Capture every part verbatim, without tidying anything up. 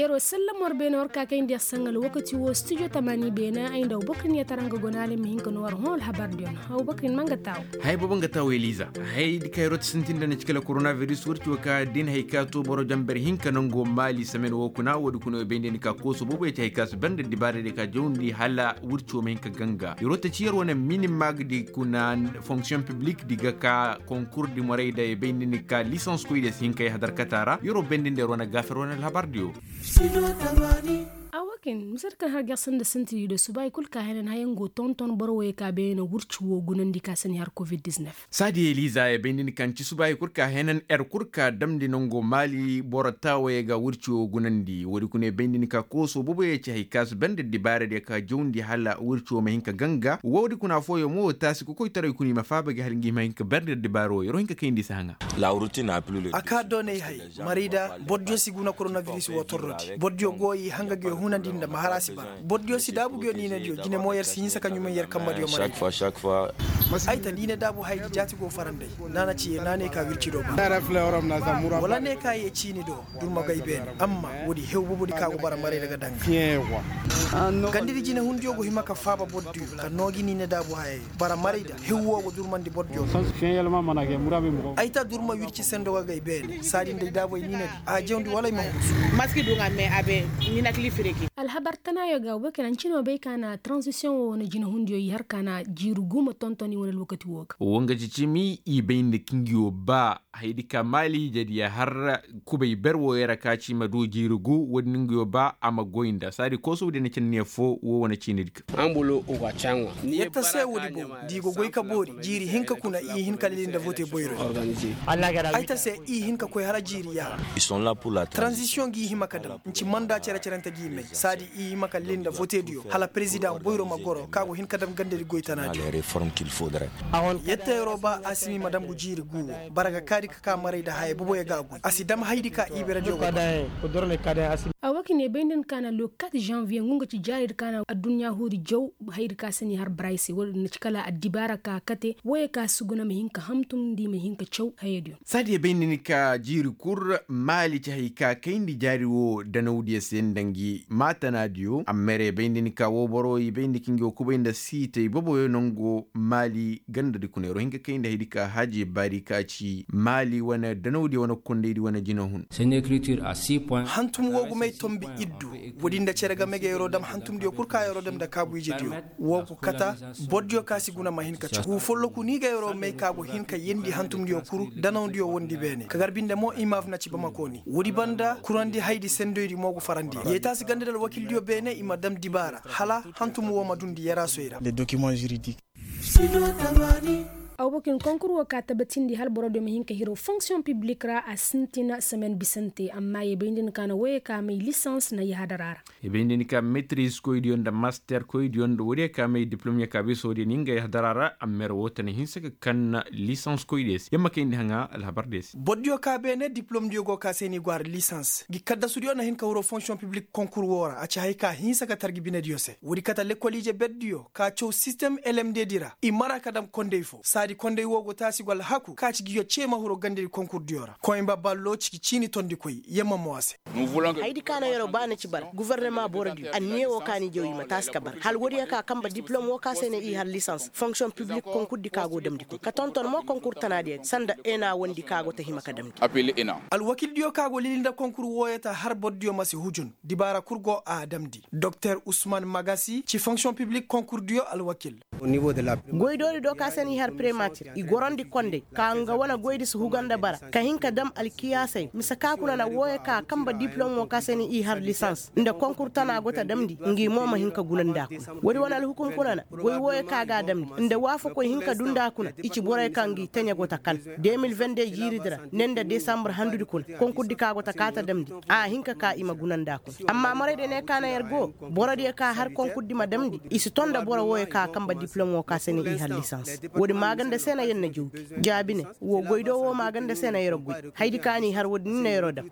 Yeroo sallamo war beene war ka kayndi yer saŋ alwakati woo studio tamaani beene ay nda abubakar niya tara nga go naali ma hin ka noo war hõ alhabar diyo no. Abubakar ni ma nga taawo. Haya boobo nga taawo eliza. Haya di ka yeroo ti sintin nda na ci kala korona biris wirci woo ka da ni haya ka too boro jamber hinka nangoo maali samen woo kuna woodi kuna woo bayndi ni ka kooso boobo ya ci haya ka si ber nda dibaara diyo ka jawndi hala wirci woo ma hin ka ganga yeroo ta ci yeroo na minimag di kuna fonksiyoŋ piblik di ga ka konkur di moray da ya bayndi ni ka lisans koy diyo si hin ka yahadar kata ra yeroo bayndi nda yeroo na gaafer wane alhabar diyo. A wakin misal kaŋ har ger sanda sinti di do subaay kul ka henan hayaŋ go tonton boro wooyey ka beene wurci woo gunandi ka sani har covid-19. Saadi eliza ya bayndi ni kaŋ ci subaay kul ka henan er kul ka damndi nangoo maali boro taawayey ga wurci woo gunandi woodi kuna ya bayndi ni ka kooso boobo ya ci hay ka si banda dibaara diyo ka jawndi hala wurci woo ma hin ka ganga woodi kuna fooyoo mo taasi kokoytaray kuna i ma faaba gi hala ngi ma hin ka banda dibaara woo yeroo hin ka kayndi si haŋa. A kaa doonay hay. Marayda boro diyo si guna koronabiris woo torrodi boro diyo go i hanga gi yo hunandi nda ma har a si bara. Boro diyo si daabu gi yo niina diyo jine mo yer si hinsa ka ɲumay yer kamba diyo marayda. Ay ta niina daabu hay gi jaati go faranday. Naana ci ye naanay ka wirci do bara wala ne ka ye ciini do durma gay beene amma woodi hew boobo di ka go bara marayda ga daŋ. Gandidi jinehundiyo go hima ka faaba bordiyo ka noo gi niine daabu hayey. Bara marayda hew woo go durmandi bordiyo. Ay ta durma wirci sendo ga gay beene saadi nda ay daabay niinedi a jawndi wala ay ma hurusu. Maski duŋ a mee a be niinakili firegi. Alhabar tanaayo ga woo kay na ncinoo bay ka na transisiyoŋ woo wane jinehundiyo i har ka na jiiri guuma tontoni wane alwakati woo ga. Woo nga ci cimi i bay nda kingiyo ba. Haydi ka maali jadiya har kubay ber wooyey ra ka ci ma du jiiri gu woodi no nga yo ba a ma goy nda saadi koosow di na cindi ne foo woo wane ciinidi ga. Yetta se woodi boŋ da i go goy ka boori jiiri hinka kuna i hin ka lili nda vote boyro. Ay ta se i hin ka koy hala jiiri yaha. Transisiyoŋ ga i hima ka dam nci manda cere-cerante ga i may saadi i hima ka lili nda vote diyo hala perezidaŋ boyro ma goro ka go hin ka dam gandedi goy tanaadiyo. Yetta yeroo ba a si ma i ma dam gu jiiri gu woo bara ga kaadi ka ka maray nda hayey boboyo ga a goy a si dam haydi ka i berediyo ga. Awa ka ne bay nda ni ka na le quatre janvier ngu nga ci jaaridi ka na adduɲɲa huuri jaw. Haydi ka si ni har baraysey woodin na ci kala addibaara ka kate wooyey ka si guna ma hin ka hamtum nda i ma hin ka caw hayadiyo. Saadiya bay nda ni ka jiiri kul maali ci hay ka kayndi jaari woo danawdiyo se nda ngi maatanaadiyo amma yerey bay nda ni ka woo boro i bay nda ka ngi woo kubay nda siitay boboyo nangoo maali gandadi kuna yeroo hin ka kayndi haydi ka haaji baari ka ci maali wane danawdiyo wane kondaydi wane jinahun. Hantum woo gumay tombi iddu. Woodi nda cere game ga yeroo dam hantumdiyo kul ka yeroo dam nda kaabu ijediyo. Woo go kata bordiyo ka si guna ma hin ka caw gu folloku ni ga yeroo may ka go hin ka yeendi hantumdiyo kul danawdiyo wondi beene ka gar binde mo imaaf na ci bamako ni woodi banda kurandi haydi sendoydi mo go farandi yee taasi ganda nda alwakildiyo beene i ma dam dibaara hala hantum woo ma dundi yaraasoy ra. Aw bokin konkur woo ka tabatindi hala borodiyo ma hin ka hiro fonksiyoŋ piblik ra a sintina semen bisante amma ye bay nda ni ka na wooyey ka may lisans na yahadara ra. Ye bay nda ni ka metriz koydiyo nda master koydiyo nda woodiyo ka may diplom ya ka bay soodiyo ni nga yahadara ra amma yer woo ta na hinsa ka kan lisans koydiyo se yer ma kayndi haŋa alhabardiyo se. Bordiyo ka beene diplomdiyo go ka se ni go har lisans gi kaddasudiyo na hin ka hiro fonksiyoŋ piblik konkur woo ra a ci hay ka hinsa ka tar gi binediyo se woodi kate lekol ije berdiyo ka caw sistem lmd di ra i mara ka dam konday fo saadi konday woo go taasi go alhaku ka ci ngiyo cee ma hiro gandedi konkurdiyo ra koyba ballo ciki ciini tondikoy yamma mo a se. Haydi ka na yeroo ba na ci bara gufornama borodiyo anniya woo ka ni jaw i ma taasi ka bara hala woodiyo ka kamba diplom woo ka se ne i har lisans fonksiyoŋ piblik konkurdi ka go damndi kuna ka tonton mo konkur tanaadiyo ga sanda ena wondi ka go ta hima ka damndi. Alwakildiyo ka go lili nda konkur wooyo ta har borodiyo ma si hujun dibaara kul go a damndi doktor usman magasi ci fonksiyoŋ piblik konkurdiyo alwakil. Goydoori do ka se no i har prematir i gorandi konday ka nga wane goydi si huga nda bara ka hin ka dam alkiyaasey mise ka kuna na wooyo ka kamba diplom woo ka se no i har lisans nda konkur tana go ta damndi ngi mo ma hin ka guna nda a kuna woodi wane alhukum kuna na goy wooyo ka ga a damndi nda waafakoy hin ka du nda a kuna i ci borey kaŋ ngi teɲe go ta kan de mil vende jiiridi ra ne nda desambar handudi kuna konkurdi ka go ta kaa ta damndi a hin ka kaa i ma guna nda a kuna amma moraydiyo ne ka na yer go borodiyo ka har konkurdi ma damndi i si ton nda boro wooyo ka kamba diplom woo ka se no i har lisans woodi ma ga Nda se na yer na jawbi jaabi ne, woo goy do woo maaganda se na yer goy. Haydi ka ni har woodin ni na yeroo dam.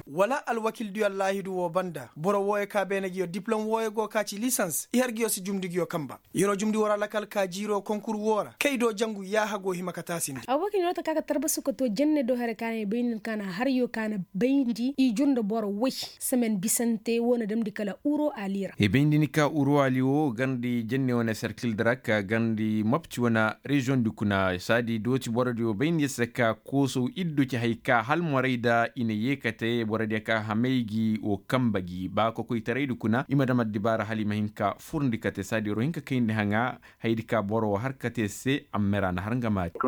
Wala alwakildiyo allaahidu woo banda boro wooyo ka beene ngiyo diplom wooyo go ka ci lisans i har ngiyo si jumndi ngiyo kamba. Yeroo jumndi woo ra lakal ka jiiroo konkur woo ra kay do jangu yaaha go hima ka taasindi. Abubakar yeroo ta ka ka tarbasu ka too jenne do hare ka na i bayndi ka na haryo ka na bayndi i jur nda boro woy. Semen bisante woo na damndi kala uro ali ra. I bayndi ni ka uro ali woo garndi jenne wane serkil dara ka garndi mopti wane reziyoŋ di kuna saadi dooti borodiyo bayndi se ka koosow iddu ci hay ka halmoray da i na yeekate borodiyo ka hamay gi woo kamba gi ba kokoytaraydi kuna i ma dam addibaara hala i ma hin ka furndi kate saadi yeroo hin ka kayndi haŋa. Haydi ka boro woo har kate se amma ra na har nga maati.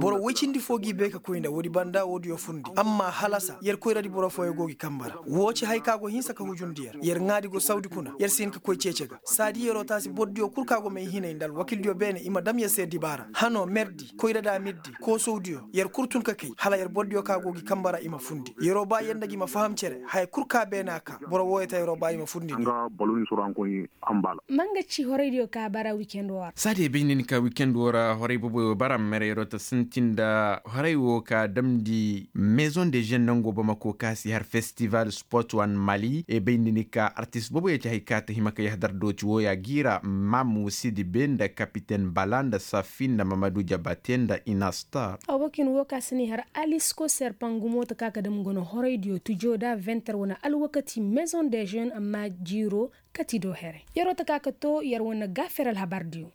Boro woy cindi foo g'i bay ka koy nda woodi banda woodiyo furndi amma halasa yer koyradi boro fooyo go gi kamba ra woo ci hay ka go hinsa ka hujundi yer yer ŋaadi go sawdi kuna yer si hin ka koy ceece ga saadi yeroo taasi bordiyo kul ka go may hinay nda alwakildiyo beene i ma dam yer se dibaara hanoo merdi koyrada mirdi koosowdiyo yer kul tun ka kay hala yer bordiyo ka go gi kamba ra i ma fundi yeroo ba yer nda gi ma faham cere haya kul ka beene a ka boro wooyo ta yeroo ba i ma fundi. Manga ci horaydiyo ka bara wikend woo ra. Saadi ay bay nda ni ka wikend woo ra horay boboyo bara mere yeroo ta sintin nda horay woo ka damndi mezoŋ de zen nangoo bamako ka si har festival sport wan mali ay bay nda ni ka artist boboyo ci hay ka ta hima ka yahadar dooti wooya giira mamu sidi be nda kapiten bala nda safi nda mamadu jabate nda inastar. Abokin woo ka si ni har alisko serpangumo ta ka ka dam gono horaydiyo tujo da venter wane alwakati mezoŋ de zen amma jiiro kati do here yeroo ta ka ka too yer wane gaafir alhabardiyo.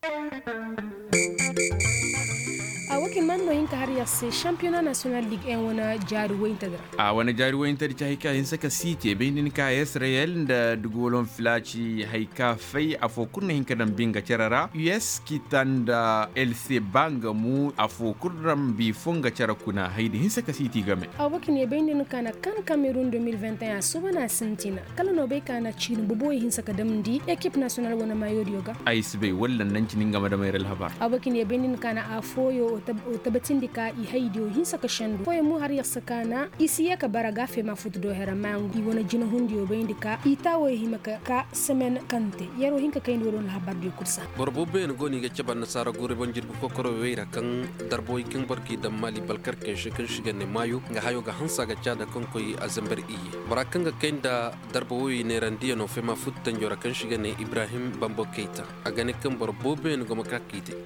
A wakin man no hin ka har yer se shampiyona nasiyonal lig en wane jaari woyintedi ra. A wane jaari woyintedi ci hay ka hinsa ka siiti bay nda ni ka israyel nda dugolon filaaci hay ka fay afoo kul na hin ka daŋ binga cere ra us kita nda el se ba nga mu afoo kul daŋ bi foo nga cere kuna haydi hinsa ka siiti game. A wakin ye bay nda ni ka na kan kamerun de mil vingt et un a suba na sintina kala no bay ka na ciini boboyo hinsa ka damndi ekip nasiyonal wane maayodiyo ga. Ay si bay walla naŋ cini nga ma damay ra alhabar. Abokin ye bay nda ni ka na a fooyo o tabatindi ka i haydiyo hinsa ka sendu fooyo mo har yer si ka na i si yee ka bara ga feema futu do here amma i wane jinahundiyo bayndi ka i taawoyo hima ka ka semen kaŋ te yeroo hin ka kayndi woo doŋ alhabardiyo kul saa. Boro booboyaŋ go no i ga cabe annasaara guuri boŋ jirbi kokoro wey ra kaŋ darba wey kaŋ boro g'i daŋ maali balkarkey se kaŋ se i ga ne maayo nga hayo ga hanse a ga caada kaŋ koy a zambar iyye. Bora kaŋ ga kay nda darba wey neerandiyanoo feema futtanjo ra kaŋ se i ga ne ibrahim bambo kayta. A ga ne kaŋ boro booboyaŋ go ma ka k'i te.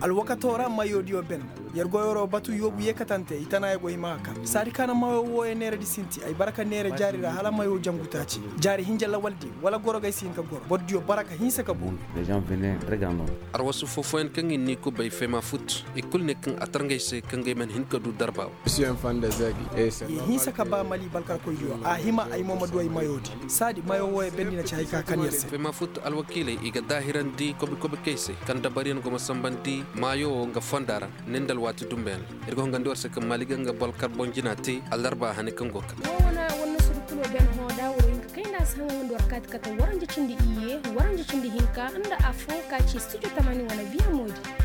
Alwakato ra mayoodiyo ben yer goyoro batu yoobu yeekatante i tana yer go hima ka kar saadi kaana mayo wooyo neeradi sinti ay bara ka neera jaari ra hala mayo jangu taaci jaari hinja lawaldi wala gorogey si hin ka goro borodiyo bara ka hinsa ka booru. Arwasu foofoyaŋ kaŋ i n'i kubay fema fut i kul ne kaŋ a tarŋey se kaŋ gay man hin ka du darba wo. I hinsa ka ba mali balkarkoydiyo a hima ay mo ma du ay mayoodi saadi mayo wooyo bendi na ci hay ka kan yer se. Fema fut alwakiiley i ga daahirandi kobi-kobikey se kaŋ dabaryaŋ go ma sambandi maayo wo nga fonda ra. Ne nda alwaati dumbeyaŋ ra ir ga hongandi war se kaŋ maali ga nga balkar boŋ jina te allarba hane kaŋ go kaŋ. Woo wane war na surukulo ben hõ da waro hinka kayna si haŋa nga nda war kaati kate waranja cindi iyye waranja cindi hinka nda afo ka ci studio tamani wane viya moodi.